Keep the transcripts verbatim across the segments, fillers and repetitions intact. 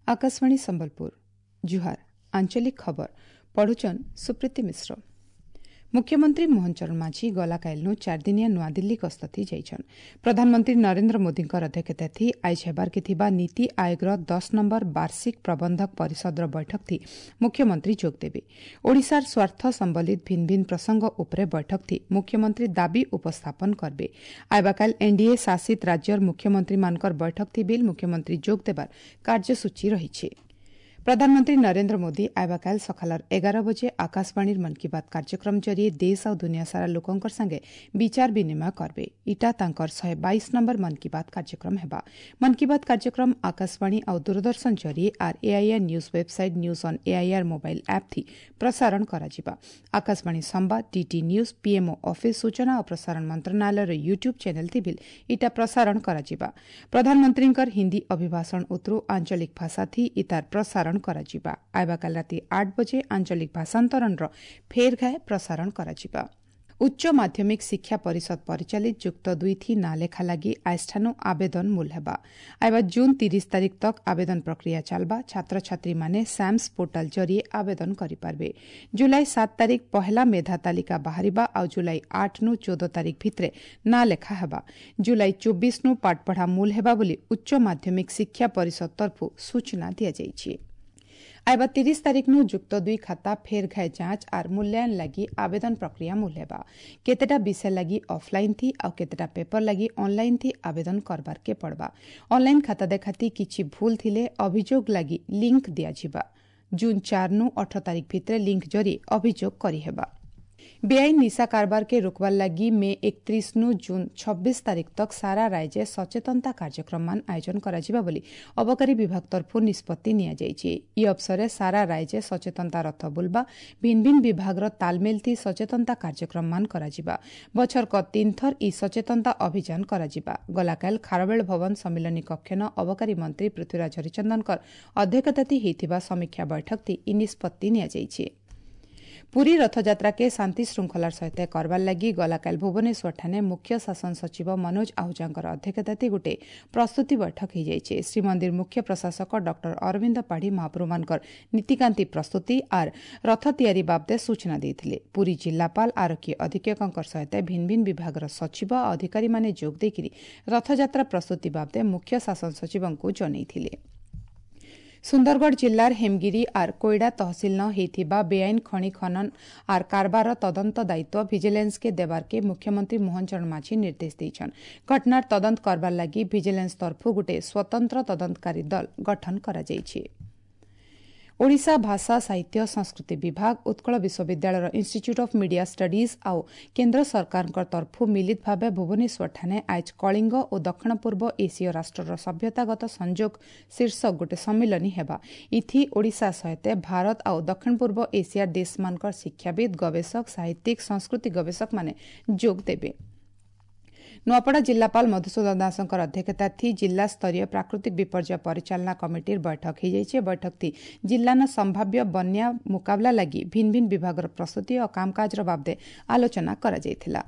आकाशवाणी संबलपुर जुहार आंचलिक खबर पढ़ुचन सुप्रीति मिश्र। मुख्यमंत्री मोहन चरण माझी गलाकाइलनु चारदिनिया नूआदिल्ली गस्ती जाइछन। प्रधानमंत्री नरेंद्र मोदींकर अध्यक्षता थी आइज हेबार के थिबा नीति आयोगର दस नंबर वार्षिक प्रबंधक परिषदर बैठक थी मुख्यमंत्री जोग देवे। ओडिशार स्वार्थ संबलित भिन्न भिन्न प्रसंग उपरे बैठक थी मुख्यमंत्री दाबी उपस्थापन करबे। आइबाकाल एनडीए शासित राज्यर मुख्यमंत्री मानकर बैठक थी बिल मुख्यमंत्री जोग देबार कार्यसूची रहिছে। प्रधानमंत्री नरेंद्र मोदी आइबाकाल सकालर एगार बजे आकाशवाणीर मन की बात कार्यक्रम जरिए देश और दुनिया सारा लोकंकर संगे विचार विनिमय करबे। इटा तांकर शहे बाईस नंबर मन की बात कार्यक्रम हेबा। मन की बात कार्यक्रम आकाशवाणी और दूरदर्शन जरिए are AIR news website news on AIR mobile app थी प्रसारण कराजिबा। आकाशवाणी संवाद, डीटी न्यूज, पीएमओ ऑफिस, सूचना और प्रसारण मंत्रणालयर यूट्यूब चैनल थी बिल इटा प्रसारण कराजिबा। प्रधानमंत्रींकर हिंदी अभिभाषण उतरू आंचलिक भाषा थी इतार प्रसारण କରାଯିବା। ଆଇବାକାଲି ରାତି ଆଠ ବଜେ ଆଞ୍ଚଳିକ ଭାଷାନ୍ତରଣର ଫେର ଘାଏ ପ୍ରସାରଣ କରାଯିବା। ଉଚ୍ଚ ମାଧ୍ୟମିକ ଶିକ୍ଷା ପରିଷଦ ପରିଚାଳିତ ଯୁକ୍ତ ଦୁଇ ଥି ନାଁ ଲେଖା ଲାଗି ଆଇଷ୍ଠାନୁ ଆବେଦନ ମୂଲ ହେବା। ଆଇବା ଜୁନ୍ ତିରିଶ ତାରିଖ ତକ ଆବେଦନ ପ୍ରକ୍ରିୟା ଚାଲବା। ଛାତ୍ରଛାତ୍ରୀମାନେ ସାମ୍ସ ପୋର୍ଟାଲ ଜରିଏ ଆବେଦନ କରିପାରିବେ। ଜୁଲାଇ ସାତ ତାରିଖ ପହଲା ମେଧା ତାଲିକା ବାହାରିବା ଆଉ ଜୁଲାଇ ଆଠ ନୁ ଚଉଦ ତାରିଖ ଭିତରେ ନାଁ ଲେଖା ହେବା। ଜୁଲାଇ ଚବିଶ ନୁ ପାଠପଢ଼ା ମୂଲ ହେବା ବୋଲି ଉଚ୍ଚ ମାଧ୍ୟମିକ ଶିକ୍ଷା ପରିଷଦ ତରଫରୁ ସୂଚନା ଦିଆଯାଇଛି। आइबा तीस तारीख नु जुक्त दुई खाता फेर घाय जांच are मूल्यांकन लगी आवेदन प्रक्रिया मूल हेबा। केतेटा विषय लगी ऑफलाइन थी और केतेटा पेपर लगी ऑनलाइन थी आवेदन करबार के पड़बा। ऑनलाइन खाता देखाती किछि भूल थिले अभियोग लगी लिंक दियाजिबा। जून चार नु अठर तारीख भितरे लिंक जरिए अभियोग करी हेबा। बेआईन निशा कारबार के रोकवार लगी मे एकत्रीस नु जून छब्बीस तारीख तक सारा राज्य सचेतनता कार्यक्रम मान आयोजन कराजिबा बोली अबकारी विभाग तरफु निष्पत्ति निया। इ अवसरे सारा राज्य सचेतनता रथ बुलबा, भिन्न भिन्न विभागर तालमेल थी सचेतनता कार्यक्रम मान कराजिबा। बछर क तीन थर इ सचेतनता अभियान कराजिबा। गलाकाल खारवेल भवन सम्मिलनी कक्षन अबकारी मंत्री पृथ्वीराज हरिचंदनकर अध्यक्षता हेइथिबा समीक्षा बैठक थी इ निष्पत्ति निया। पुरी रथयात्रा के शांति श्रृंखलार सहित करबार लगी गलाकाल भुवनेश्वर ठाने मुख्य शासन सचिव मनोज आहूजांकर अध्यक्षता गोटे प्रस्तुति बैठक हो। श्रीमंदिर मुख्य प्रशासक डॉक्टर अरविंद पाढ़ी महाप्रभुमानकर नीतिकांति प्रस्तुति are रथ तियारी बाबदे सूचना देइथिले। पुरी जिल्लापाल आरक्षी अधीक्षकंकर सहित भिन्न भिन्न विभागर सचिव अधिकारी माने जोग देइकरी रथयात्रा प्रस्तुति बाबदे मुख्य शासन सचिवଙ୍କୁ जनाइथिले। सुंदरगढ़ जिलार हेमगिरी are Koida तहसील न हेइथिबा बेआईन खनि खनन are कारबार तदंत दायित्व विजिलेंस के देबार के मुख्यमंत्री मोहन चरण माझी निर्देश देइछन। घटनार तदंत करबार लागि विजिलेंस तरफु गुटे स्वतंत्र तदंतकारी दल गठन करा जाइछि। ओडिशा भाषा साहित्य संस्कृति विभाग, उत्कल विश्वविद्यालय इंस्टीट्यूट ऑफ मीडिया स्टडीज आउ केंद्र सरकार तरफु मिलित भावे भुवनेश्वर ठाने आज कलिंग और दक्षिण पूर्व एसीय राष्ट्रर सभ्यतागत संयोग शीर्षक गोटे सम्मिलनी हेबा। इथि ओडिशा सहित भारत आउ दक्षिण पूर्व एशिया देशमानकर शिक्षाविद, गवेषक, साहित्यिक, संस्कृति गवेषक माने जोग देवे। नुआपड़ा जिल्लापाल मधुसूदन दासकर अध्यक्षता थी जिला स्तरीय प्राकृतिक विपर्यय परिचालना कमिटीर बैठक हो। बैठक थी जिलान संभाव्य बन्या मुकाबला लगी भिन्न भिन्न विभागर प्रस्तुति और कामकाजर बाबदे आलोचना कराଯାଇଥିଲା।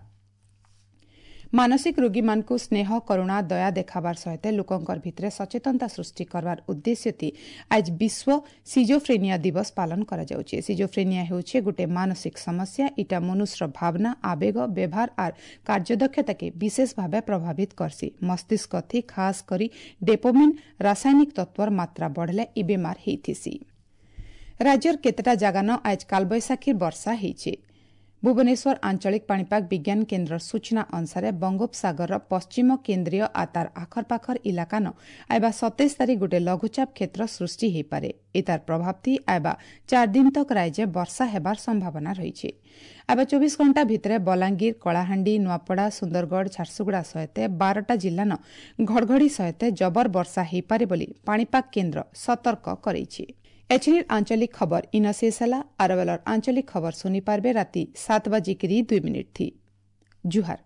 मानसिक रोगी मानकु स्नेह, करुणा, दया देखाबार सहित लोकंकर भितरे सचेतनता सृष्टि करबार उद्देश्य थी आज विश्व सिजोफ्रेनिया दिवस पालन करा जाउछे। सिजोफ्रेनिया हेउछे गोटे मानसिक समस्या। इटा मनुष्य भावना, आवेग, व्यवहार are कार्यदक्षता के विशेष भावे प्रभावित करसी। मस्तिष्क थी खास करी डोपामिन रासायनिक तत्वर मात्रा बढ़ले इ बेमार हेइथिसी। राज्यर केतेटा जागान आज कालबैशाखीर वर्षा हेइছে। भुवनेश्वर आंचलिक पाणीपाग विज्ञान केन्द्र सूचना अनुसार बंगोपसागर पश्चिम केन्द्रीय आ तार आखरपाखर इलाकान आइबा सतेइस तारीख गोटे लघुचाप क्षेत्र सृष्टि होईपारे। एतार प्रभाव थी आइबा चार दिन तक राज्य वर्षा हेबार संभावना रहिছে। आइबा चौबीस घंटा भितरे बलांगीर, कलाहांडी, नुआपड़ा, सुंदरगढ़, झारसुगुड़ा सहित बारटा जिल्लान घड़घड़ी सहित जबर वर्षा होईपारे बोली पाणीपाग केन्द्र सतर्क करेछि। एचनिर आंचलिक खबर इन शेष होला। आरवेलर आंचलिक खबर सुनी पारबे राति सात बजिकरी दुई मिनिट थी। जुहार।